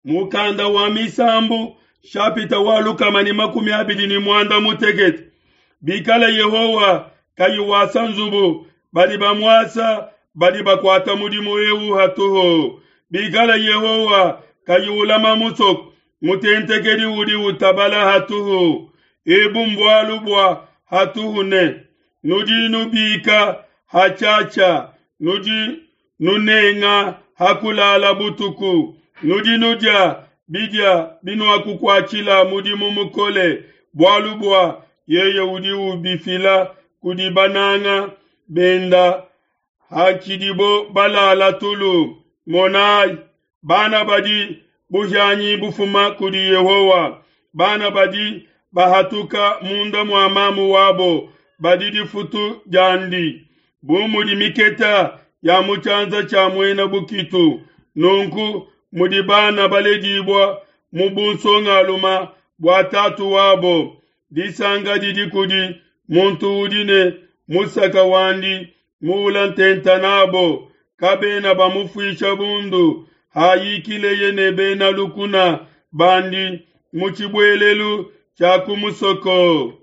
Mukanda wa Misambu shapita wa 226. Bikala Yehowa kayi wasa nzubu, badi bamuasa badi bakuata mudimu eu hatuhu. Bikala Yehowa kayi ulama musoko, mutentekedi udi utabala hatuhu. Ebu mbualu bua hatuhu ne, nudi nubika hatshiatshia, nudi nunenga ha kulala butuku, nudi nudia bidia binuakukuatshila mudimu mukole, bualu bua yeye udi ubifila kudi bananga benda hatshidibo balala tulu. Monai, bana badi buhianyi bufuma kudi Yehowa, bana badi bahatuka munda mua mamu wabo badi difutu diandi. Bu mudi miketa ya mu tshianza tshia muena bukitu, nunku mudi bana baledibua mu bunsongalume bua tatu wabo. Disanka didi kudi muntu udi ne musaka wandi muula ntenta nabo, kabena bamufuisha bundu hayikileye ne bena lukuna bandi mu tshibuelelu tshia ku musoko.